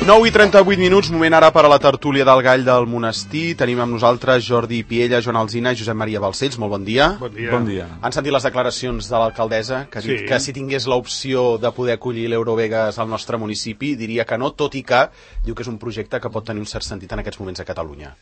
9:38, moment ara per a la tertúlia del Gall del Monestir. Tenim amb nosaltres Jordi Piella, Joan Alsina i Josep Maria Balcells. Molt bon dia. Bon dia. Bon dia. Han sentit les declaracions de l'alcaldessa, que ha dit que si tingués l'opció de poder acollir l'Eurovegas al nostre municipi, diria que no, tot i que diu que és un projecte que pot tenir un cert sentit en aquests moments a Catalunya.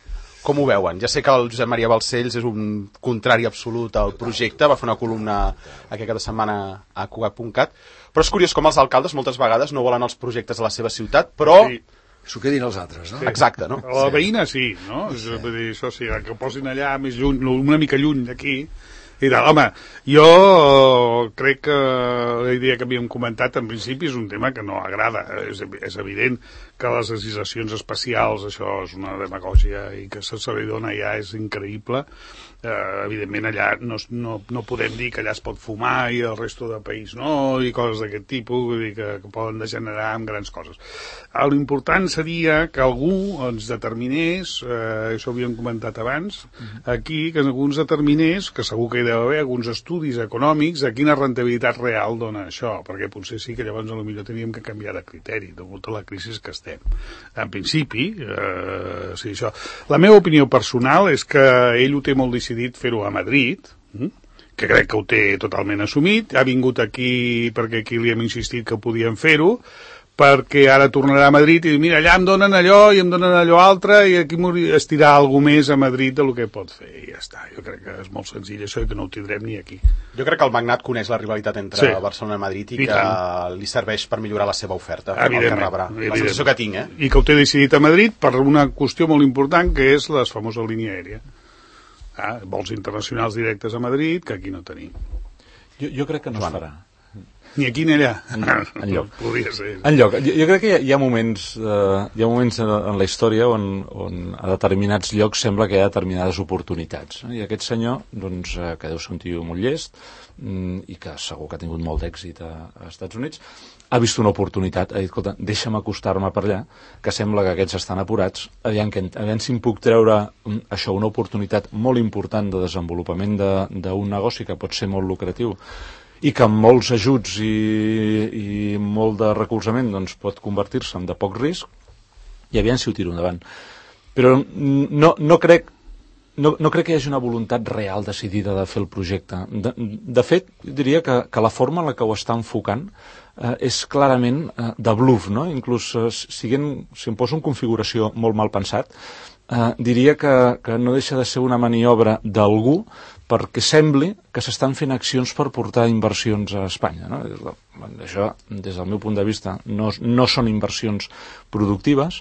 Com ho veuen? Ja sé que el Josep Maria Balcells és un contrari absolut al projecte, va fer una columna aquesta setmana a Cugat.cat, però és curiós com els alcaldes moltes vegades no volen els projectes a la seva ciutat, però... Sí. S'ho quedin els altres, no? Sí. Exacte, no? A la veïna sí, no? Sí. Vull dir, això sí, que ho posin allà més lluny, una mica lluny d'aquí. I tal. Home, jo crec que la idea que havíem comentat en principi és un tema que no agrada. És evident que les legislacions especials, això és una demagògia i que se li dona ja és increïble. Evidentment allà no podem dir que allà es pot fumar i el resto del país no, i coses d'aquest tipus, vull dir que poden degenerar en grans coses. L'important seria que algú ens determinés, això ho havíem comentat abans, aquí, que algú ens determinés, que segur que hi deu haver alguns estudis econòmics de quina rentabilitat real dona això, perquè potser sí que llavors potser teníem que canviar de criteri, degut a la crisi que estem. En principi, sí, això. La meva opinió personal és que ell ho té molt decidit fer-ho a Madrid, que crec que ho té totalment assumit, ha vingut aquí perquè aquí li hem insistit que podíem fer-ho, perquè ara tornarà a Madrid i dir, mira, allà em donen allò i em donen allò altre i aquí estirar alguna més a Madrid del que pot fer i ja està. Jo crec que és molt senzill això i que no ho tindrem ni aquí. Jo crec que el magnat coneix la rivalitat entre Barcelona i Madrid i que li serveix per millorar la seva oferta. Evidentment. La sensació que tinc, I que ho té decidit a Madrid per una qüestió molt important que és la famosa línia aèria. Vols internacionals directes a Madrid que aquí no tenim. Jo crec que no es farà. Ni aquí ni allà. Enlloc. Podria ser. Enlloc. Jo crec que hi ha moments en la història on a determinats llocs sembla que hi ha determinades oportunitats. I aquest senyor, doncs, que deu ser un tio molt llest i que segur que ha tingut molt d'èxit als Estats Units, ha vist una oportunitat, ha dit, escolta, deixa'm acostar-me per allà, que sembla que aquests estan apurats, aviam si em puc treure això, una oportunitat molt important de desenvolupament d'un negoci que pot ser molt lucratiu i que amb molts ajuts i molt de recolzament doncs, pot convertir-se en de poc risc i aviam si ho tiro endavant. Però no crec que hi hagi una voluntat real decidida de fer el projecte. De fet, diria que la forma en la que ho està enfocant és clarament de bluff, no? Inclús si em poso en configuració molt mal pensat, diria que no deixa de ser una maniobra d'algú perquè sembli que s'estan fent accions per portar inversions a Espanya. No? Això, des del meu punt de vista, no són inversions productives.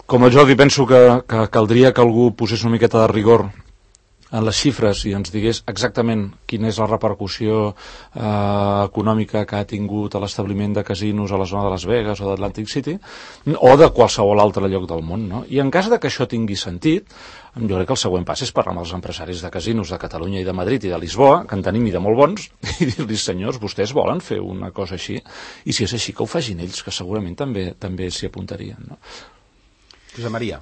Com a Jordi, penso que caldria que algú posés una miqueta de rigor en les xifres i ens digués exactament quina és la repercussió econòmica que ha tingut a l'establiment de casinos a la zona de Las Vegas o d'Atlantic City o de qualsevol altre lloc del món. No? I en cas de que això tingui sentit, jo crec que el següent pas és parlar amb els empresaris de casinos de Catalunya i de Madrid i de Lisboa, que en tenim i de molt bons, i dir-los, senyors, vostès volen fer una cosa així? I si és així, que ho facin ells, que segurament també s'hi apuntarien. No? Josep Maria.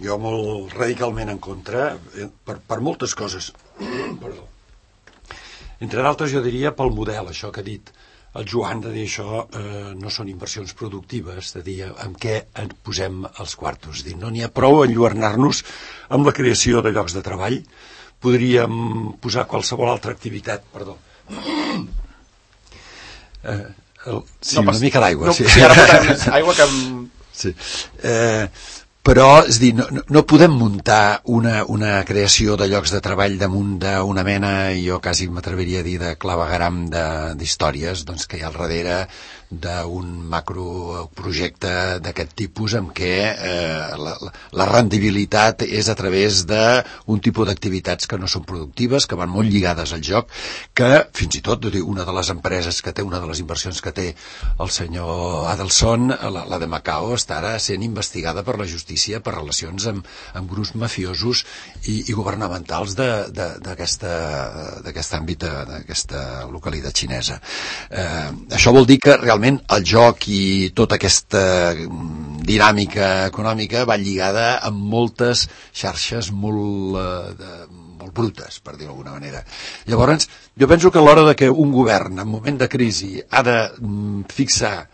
Jo molt radicalment en contra per moltes coses. Perdó. Entre d'altres jo diria pel model, això que ha dit el Joan, de dir això no són inversions productives, de dir en què posem els quartos. Dir, no n'hi ha prou enlluernar-nos amb la creació de llocs de treball. Podríem posar qualsevol altra activitat. Perdó. Una mica d'aigua. Sí, ara posarem més aigua que... Sí. Però, és dir, no podem muntar una creació de llocs de treball damunt d'una mena, jo quasi m'atreviria a dir, de clavegaram d'històries doncs, que hi ha al darrere d'un macroprojecte d'aquest tipus en què la rendibilitat és a través d'un tipus d'activitats que no són productives, que van molt lligades al joc, que fins i tot una de les empreses que té, una de les inversions que té el senyor Adelson, la de Macao, està ara sent investigada per la justícia per relacions amb grups mafiosos i governamentals d'aquest àmbit, d'aquesta localitat xinesa. Això vol dir que realment el joc i tota aquesta dinàmica econòmica va lligada amb moltes xarxes molt brutes, per dir-ho d'alguna manera. Llavors, jo penso que a l'hora de que un govern en moment de crisi ha de fixar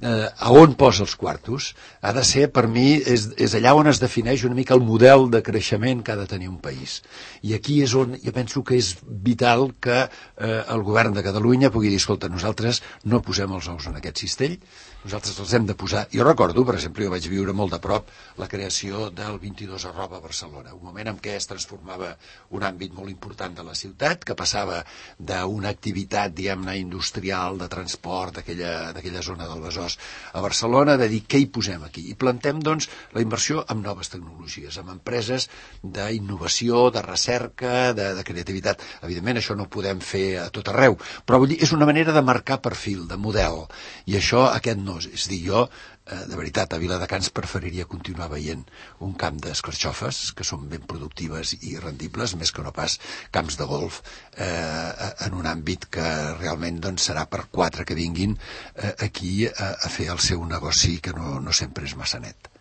a on posa els quartos ha de ser, per mi, és allà on es defineix una mica el model de creixement que ha de tenir un país. I aquí és on jo penso que és vital que el govern de Catalunya pugui dir, escolta, nosaltres no posem els ous en aquest cistell, nosaltres els hem de posar. Jo recordo, per exemple, jo vaig viure molt de prop la creació del 22 arroba a Barcelona, un moment en què es transformava un àmbit molt important de la ciutat, que passava d'una activitat, diguem-ne, industrial, de transport, d'aquella zona del Besòs a Barcelona, de dir què hi posem aquí. I plantem, doncs, la inversió en noves tecnologies, en empreses d'innovació, de recerca, de creativitat. Evidentment, això no ho podem fer a tot arreu, però vull dir, és una manera de marcar perfil, de model, i això aquest no. És dir, jo, de veritat, a Viladecans preferiria continuar veient un camp d'escarxofes, que són ben productives i rendibles, més que no pas camps de golf, en un àmbit que realment doncs, serà per 4 que vinguin aquí a fer el seu negoci, que no sempre és massa net.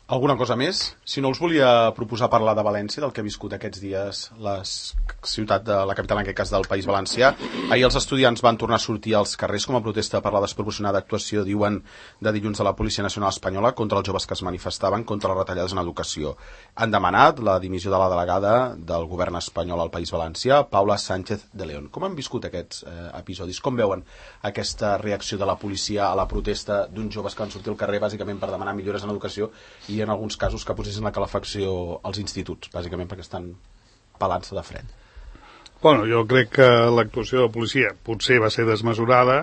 Alguna cosa més? Si no, us volia proposar parlar de València, del que ha viscut aquests dies la ciutat de la capital, en aquest cas del País Valencià. Ahir els estudiants van tornar a sortir als carrers com a protesta per la desproporcionada actuació, diuen, de dilluns de la Policia Nacional Espanyola contra els joves que es manifestaven contra les retallades en educació. Han demanat la dimissió de la delegada del govern espanyol al País Valencià, Paula Sánchez de León. Com han viscut aquests episodis? Com veuen aquesta reacció de la policia a la protesta d'uns joves que van sortir al carrer bàsicament per demanar millores en educació i en alguns casos que posessin la calefacció als instituts, bàsicament perquè estan pelant-se de fred? Bueno, jo crec que l'actuació de la policia potser va ser desmesurada.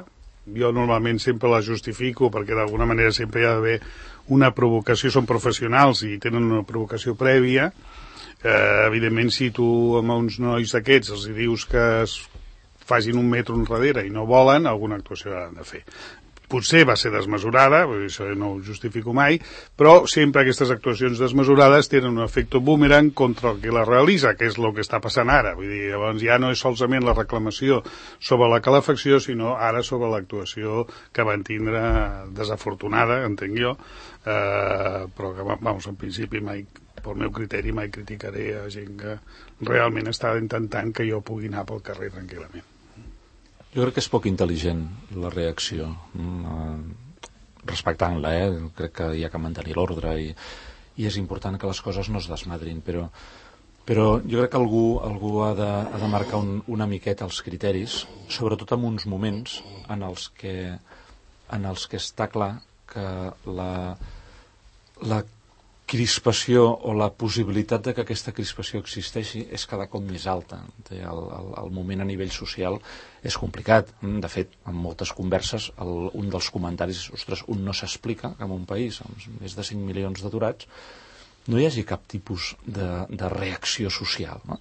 Jo normalment sempre la justifico perquè d'alguna manera sempre hi ha d'haver una provocació, són professionals i tenen una provocació prèvia. Evidentment, si tu amb uns nois d'aquests els dius que es facin un metro enrere i no volen, alguna actuació han de fer. Potser va ser desmesurada, això no ho justifico mai, però sempre aquestes actuacions desmesurades tenen un efecte boomerang contra el que la realitza, que és el que està passant ara. Vull dir, llavors ja no és solament la reclamació sobre la calefacció, sinó ara sobre l'actuació que van tindre desafortunada, entenc jo, però que, vamos, en principi mai, pel meu criteri, mai criticaré a gent que realment està intentant que jo pugui anar pel carrer tranquil·lament. Jo crec que és poc intel·ligent la reacció, respectant-la, crec que hi ha que mantenir l'ordre i és important que les coses no es desmadrin, però jo crec que algú ha de marcar una miqueta els criteris, sobretot en uns moments en els que està clar que la crispació o la possibilitat de que aquesta crispació existeixi és cada cop més alta. El moment a nivell social és complicat. De fet, en moltes converses, un dels comentaris és, ostres, un no s'explica que en un país amb més de 5 milions d'aturats no hi hagi cap tipus de reacció social. No?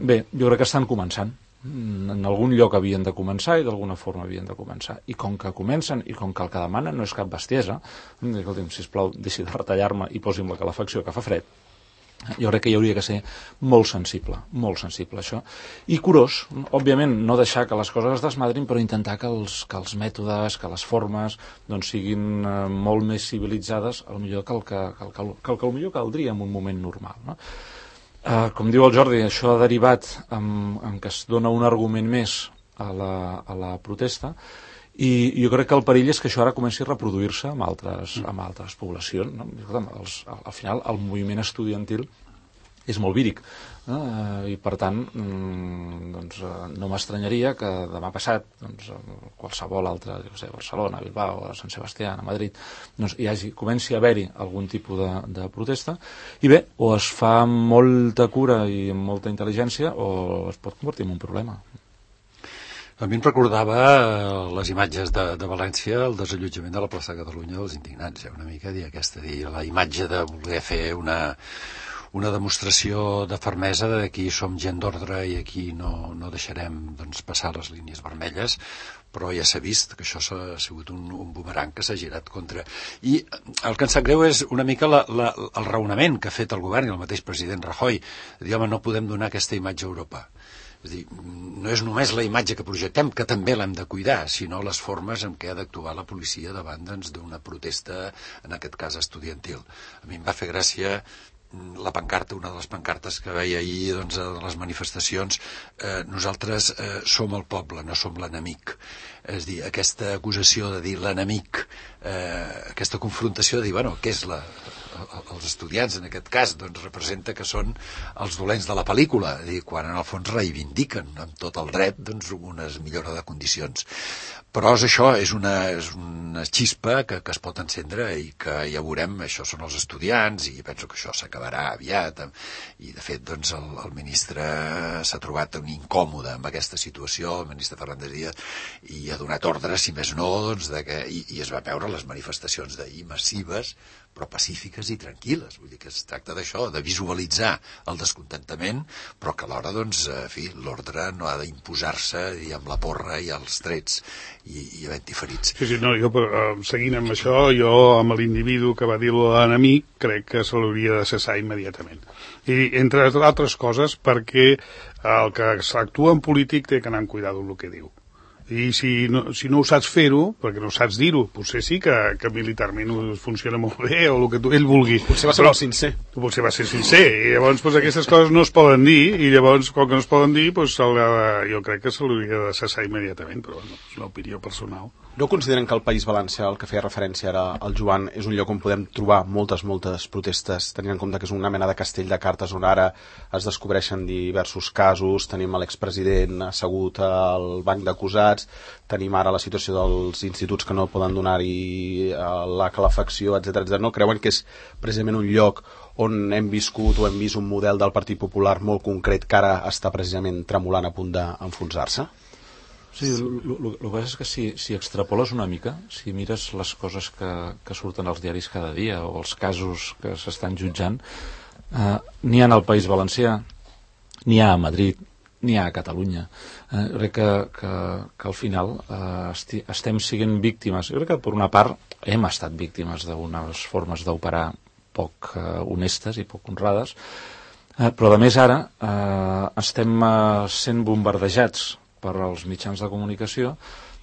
Bé, jo crec que estan començant. En algun lloc havien de començar i d'alguna forma havien de començar. I com que comencen i com que el que demanen no és cap bestiesa, escolti'm, sisplau, deixi de retallar-me i posi'm la calefacció que fa fred, jo crec que hi hauria que ser molt sensible això. I curós, òbviament, no deixar que les coses es desmadrin, però intentar que els mètodes, que les formes doncs, siguin molt més civilitzades, potser que el millor caldria en un moment normal, no? Com diu el Jordi, això ha derivat en que es dona un argument més a la protesta i jo crec que el perill és que això ara comenci a reproduir-se amb altres poblacions. No? Al final, el moviment estudiantil és molt víric, no? I per tant doncs, no m'estranyaria que demà passat qualsevol altre, Barcelona, Bilbao, Sant Sebastià, a Madrid, doncs, comenci a haver-hi algun tipus de protesta i bé, o es fa amb molta cura i amb molta intel·ligència o es pot convertir en un problema. A mi em recordava les imatges de València, el desallotjament de la plaça de Catalunya dels indignats, una mica la imatge de voler fer una demostració de fermesa de que aquí som gent d'ordre i aquí no deixarem doncs, passar les línies vermelles, però ja s'ha vist que això ha sigut un boomerang que s'ha girat contra. I el que em sap greu és una mica el raonament que ha fet el govern i el mateix president Rajoy, de dir, home, no podem donar aquesta imatge a Europa. És dir, no és només la imatge que projectem, que també l'hem de cuidar, sinó les formes en què ha d'actuar la policia davant d'una protesta, en aquest cas estudiantil. A mi em va fer gràcia la pancarta, una de les pancartes que veia ahir doncs, a les manifestacions, nosaltres som el poble, no som l'enemic. És a dir, aquesta acusació de dir l'enemic, aquesta confrontació de dir, bueno, què és els estudiants en aquest cas, doncs representa que són els dolents de la pel·lícula, és a dir, quan en el fons reivindiquen amb tot el dret doncs, unes millora de condicions. Però això és una xispa que es pot encendre i que ja veurem, això són els estudiants i penso que això s'acabarà aviat i de fet doncs, el ministre s'ha trobat un incòmode amb aquesta situació, el ministre Fernández Díaz, i ha donat ordres, si més no, doncs, i es va veure les manifestacions d'ahir massives però pacífiques i tranquil·les. Vull dir que es tracta d'això, de visualitzar el descontentament, però que alhora, doncs, en fi, l'ordre no ha d'imposar-se amb la porra i els trets i havent-hi ferits. Sí, no, jo, seguint amb això, jo amb l'individu que va dir l'enemic, crec que se l'hauria de cessar immediatament. I, entre altres coses, perquè el que s'actua en polític té que anar amb cuidado amb el que diu. I si no ho saps fer-ho, perquè no saps dir-ho, potser sí que militarment funciona molt bé, o el que ell vulgui. Potser va ser molt sincer. Potser va ser sincer, i llavors pues, aquestes coses no es poden dir, i llavors, com que no es poden dir, pues, jo crec que se l'hauria de cessar immediatament, però bueno, és una opinió personal. No consideren que el País Valencià, el que feia referència ara al Joan, és un lloc on podem trobar moltes protestes, tenint en compte que és una mena de castell de cartes on ara es descobreixen diversos casos, tenim l'expresident assegut al banc d'acusats, tenim ara la situació dels instituts que no poden donar-hi la calefacció, etc. No creuen que és precisament un lloc on hem viscut o hem vist un model del Partit Popular molt concret que ara està precisament tremolant a punt d'enfonsar-se? Sí, el que passa és que si extrapoles una mica, si mires les coses que surten als diaris cada dia o els casos que s'estan jutjant, n'hi ha al País Valencià, n'hi ha a Madrid, n'hi ha a Catalunya. Crec que al final estem sent víctimes. Jo crec que per una part hem estat víctimes d'unes formes d'operar poc honestes i poc honrades, però a més ara estem sent bombardejats per als mitjans de comunicació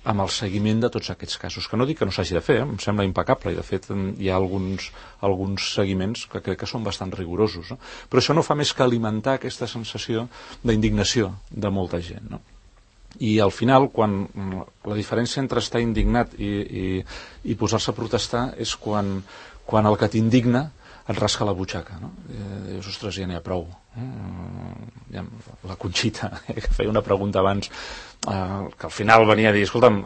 amb el seguiment de tots aquests casos, que no dic que no s'hagi de fer, em sembla impecable, i de fet hi ha alguns seguiments que crec que són bastant rigorosos, no? Però això no fa més que alimentar aquesta sensació d'indignació de molta gent, no? I al final, quan la diferència entre estar indignat i posar-se a protestar és quan el que t'indigna et rasca la butxaca, no? Dius, ostres, ja n'hi ha prou. La Conxita, que feia una pregunta abans, que al final venia a dir, escolta'm,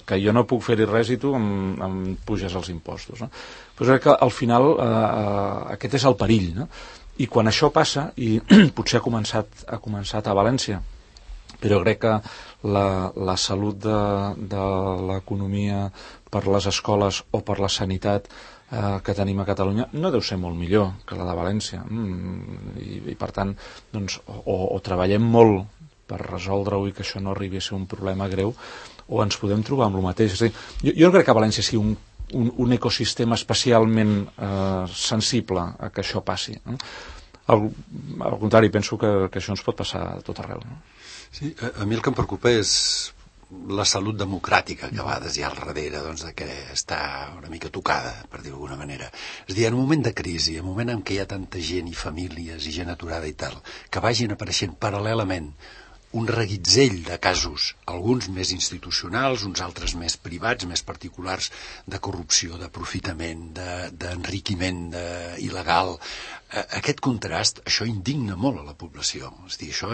que jo no puc fer-hi res i tu em puges els impostos, no? Però crec que al final aquest és el perill, no? I quan això passa, i potser ha començat a València, però crec que la salut de l'economia per les escoles o per la sanitat que tenim a Catalunya no deu ser molt millor que la de València, i per tant doncs, o treballem molt per resoldre-ho i que això no arribi a ser un problema greu, o ens podem trobar amb el mateix. És a dir, jo no crec que València sigui un ecosistema especialment sensible a que això passi, no? Al contrari, penso que això ens pot passar a tot arreu, no? Sí, a mi el que em preocupa és la salut democràtica que a vegades hi ha al darrere, doncs, de que està una mica tocada, per dir-ho d'alguna manera. És a dir, en un moment de crisi, en un moment en què hi ha tanta gent i famílies i gent aturada i tal, que vagin apareixent paral·lelament un reguitzell de casos, alguns més institucionals, uns altres més privats, més particulars, de corrupció, d'aprofitament, d'enriquiment il·legal. Aquest contrast, això indigna molt a la població. És a dir, això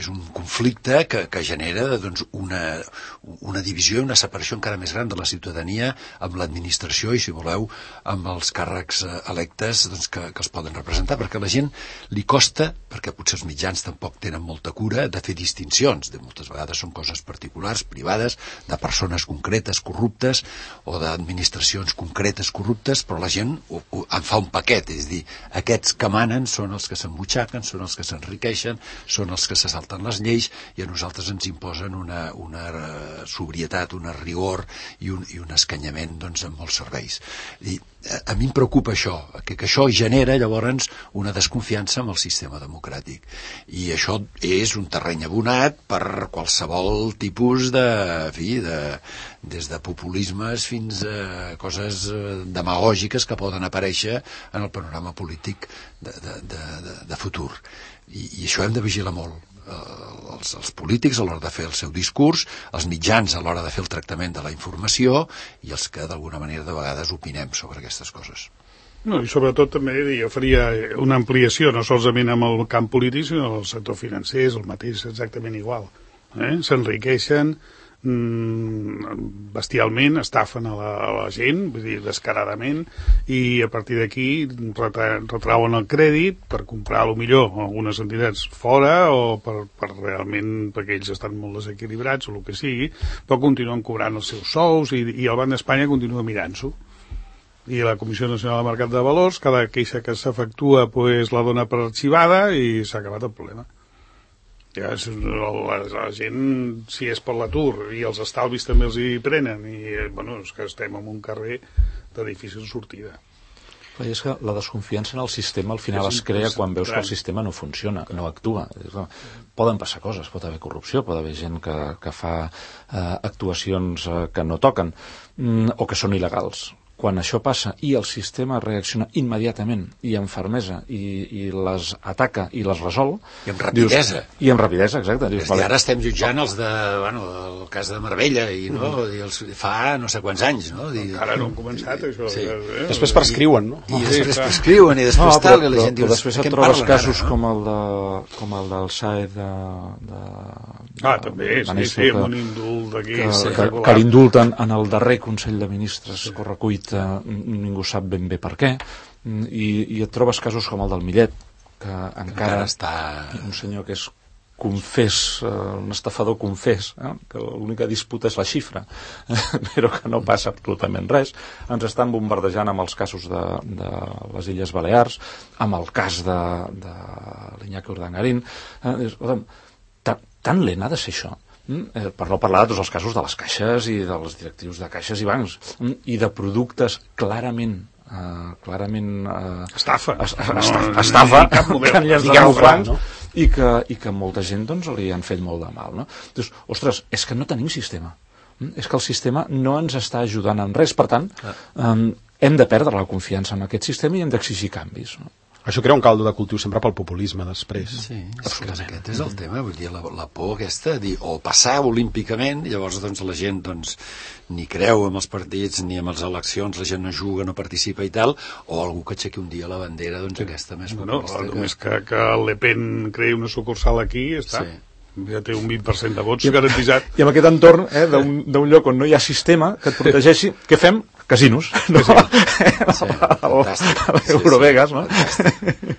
és un conflicte que genera doncs, una divisió i una separació encara més gran de la ciutadania amb l'administració i, si voleu, amb els càrrecs electes doncs, que els poden representar, perquè a la gent li costa, perquè potser els mitjans tampoc tenen molta cura, de fer distincions. Moltes vegades són coses particulars, privades, de persones concretes corruptes o d'administracions concretes corruptes, però la gent en fa un paquet, és a dir, aquests que manen són els que s'embutxaquen, són els que s'enriqueixen, són els que se salten les lleis i a nosaltres ens imposen una sobrietat, un rigor i un escanyament doncs, en molts serveis. a mi em preocupa això, que això genera llavors una desconfiança amb el sistema democràtic. I això és un terreny abonat per qualsevol tipus des de populismes fins a coses demagògiques que poden aparèixer en el panorama polític de futur. I això hem de vigilar molt. Els polítics a l'hora de fer el seu discurs, els mitjans a l'hora de fer el tractament de la informació i els que d'alguna manera de vegades opinem sobre aquestes coses. No, i sobretot també jo faria una ampliació no solament amb el camp polític sinó el sector financer, és el mateix exactament igual. S'enriqueixen bestialment, estafen a la gent, vull dir, descaradament, i a partir d'aquí retrauen el crèdit per comprar a lo millor algunes entitats fora o per realment, perquè ells estan molt desequilibrats o el que sigui, però continuen cobrant els seus sous i el Banc d'Espanya continua mirant-s'ho. I la Comissió Nacional de Mercat de Valors, cada queixa que s'efectua pues, la dona per arxivada i s'ha acabat el problema. Ja, la gent, si és per l'atur i els estalvis també els hi prenen i bueno, és que estem en un carrer de difícil sortida. Però és que la desconfiança en el sistema al final es crea quan veus que el sistema no funciona, no actua. Poden passar coses, pot haver corrupció, pot haver gent que fa actuacions que no toquen o que són il·legals. Quan això passa i el sistema reacciona immediatament i amb fermesa i les ataca i les resol... I amb rapidesa. I amb rapidesa, exacte. Dius, vale. Ara estem jutjant el cas de Marbella i fa no sé quants anys. No? Encara no han començat, això. Sí. Després prescriuen, no? I després prescriuen i després tal, i la gent diu... Però després et trobes casos com el del Saez també, sí, amb un indult d'aquí. Que l'indulten en el darrer Consell de Ministres correcuit ningú sap ben bé per què i et trobes casos com el del Millet que encara està un senyor que és confés, un estafador confés, que l'única disputa és la xifra però que no passa absolutament res. Ens estan bombardejant amb els casos de les Illes Balears, amb el cas de l'Iñaki Urdangarín. Tan lent ha de ser això, per no parlar de tots els casos de les caixes i dels directius de caixes i bancs i de productes clarament estafa que han llançat els bancs i que molta gent doncs, li han fet molt de mal, no? Doncs, ostres, és que no tenim sistema, és que el sistema no ens està ajudant en res, per tant hem de perdre la confiança en aquest sistema i hem d'exigir canvis, no? Això crea un caldo de cultiu sempre pel populisme després. Sí, aquest és el tema, vull dir, la por aquesta, o passar olímpicament, llavors doncs, la gent doncs, ni creu en els partits ni en les eleccions, la gent no juga, no participa i tal, o algú que aixequi un dia la bandera doncs, aquesta més populista. Només que el Le Pen creï una sucursal aquí, està. Sí. Ja té un 20% de vots garantitzat. I amb aquest entorn d'un lloc on no hi ha sistema que et protegeixi, què fem? Casinos, no? Sí, Eurovegas, no?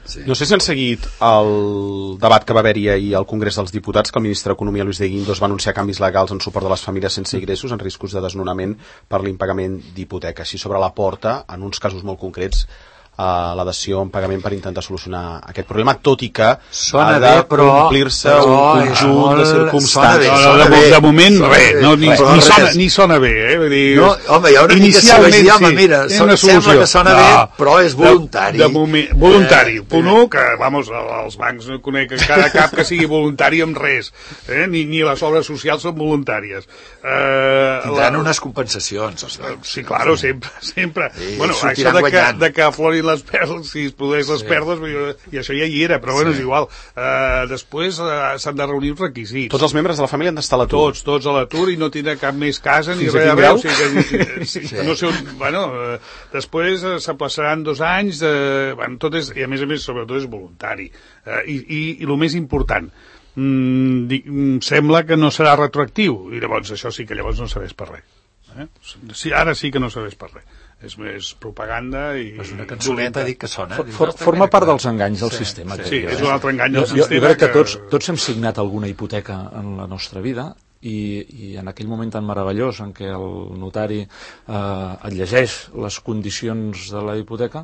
Sí. No sé si han seguit el debat que va haver-hi ahir al Congrés dels Diputats, que el ministre d'Economia, Luis de Guindos, va anunciar canvis legals en suport de les famílies sense ingressos en riscos de desnonament per l'impagament d'hipoteca. Així sobre la porta, en uns casos molt concrets, la dació en pagament per intentar solucionar aquest problema, tot i que sona ha de complir-se un conjunt de circumstàncies. De moment, res, ni sona bé, Vull dir, no, home, hi ha una mica de dir, home, mira, sembla que sona bé, però és voluntari. De moment, voluntari. Punt 1, que, vamos, els bancs no conec cada cap que sigui voluntari amb res, ni les obres socials són voluntàries. Tindran unes compensacions. Sí, claro, sempre. Bueno, això de que aflorin les perles, si es produeix les perles, i això ja hi era, però bueno, és igual. Després s'han de reunir els requisits. Tots els membres de la família han d'estar a l'atur. Tots a l'atur i no tindrà cap més casa ni res a veure. No sé on, després s'aplaçaran 2 anys, tot és, i a més, sobretot és voluntari. I el més important, sembla que no serà retroactiu, i llavors això sí que llavors no serveix per res. Ara sí que no serveix per res. És més propaganda i... És una cançoneta, dic que sona. Forma part dels enganys del sistema. Sí, és un altre engany del sistema. Jo crec que tots hem signat alguna hipoteca en la nostra vida i en aquell moment tan meravellós en què el notari et llegeix les condicions de la hipoteca,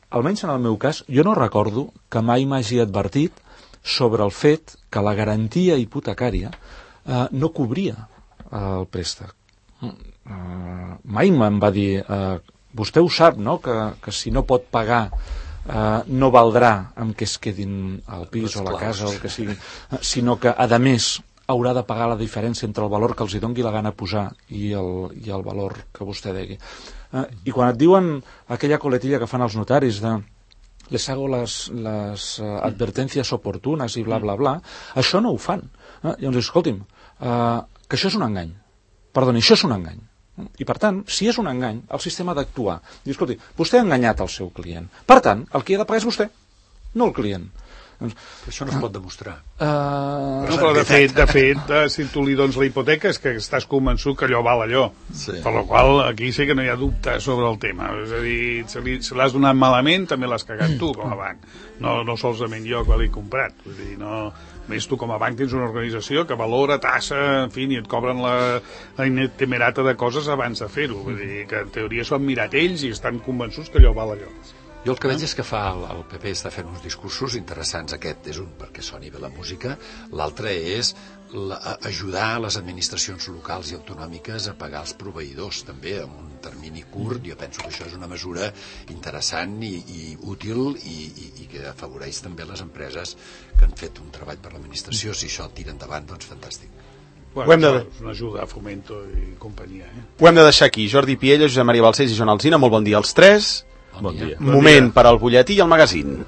almenys en el meu cas, jo no recordo que mai m'hagi advertit sobre el fet que la garantia hipotecària no cobria el préstec. Mai me'n va dir vostè ho sap, no?, que si no pot pagar no valdrà amb què es quedin al pis o a la casa o el que sigui, sinó que, a més, haurà de pagar la diferència entre el valor que els hi doni la gana posar i el valor que vostè degui. I quan et diuen aquella coletilla que fan els notaris de les hago les advertencias oportunes i bla, bla, bla, això no ho fan. Llavors, escolti'm, que això és un engany. Perdoni, això és un engany. I, per tant, si és un engany, el sistema ha d'actuar. Diu, escolti, vostè ha enganyat el seu client. Per tant, el qui ha de pagar és vostè, no el client. Això no es pot demostrar. Però de fet, si tu li dones la hipoteca és que estàs convençut que allò val allò. Sí. Per la qual aquí sí que no hi ha dubte sobre el tema. És a dir, si l'has donat malament, també l'has cagat tu com a banc. No solament jo que l'he comprat. Vull dir, no... Més tu com a banc tens una organització que valora, tassa, en fi, i et cobren la temerata de coses abans de fer-ho. Vull dir que en teoria s'ho han mirat ells i estan convençuts que allò val allò. Jo el que veig és que fa el PP està fent uns discursos interessants. Aquest és un perquè soni bé la música, l'altre és ajudar les administracions locals i autonòmiques a pagar els proveïdors també en un termini curt. Jo penso que això és una mesura interessant i útil i que afavoreix també les empreses que han fet un treball per l'administració. Si això tira endavant, doncs fantàstic. Bueno, és una ajuda a Fomento i companyia. Ho hem de deixar aquí. Jordi Piella, Josep Maria Balcells i Joan Alsina, molt bon dia als tres. Bon dia. Moment per al butlletí i el magazín.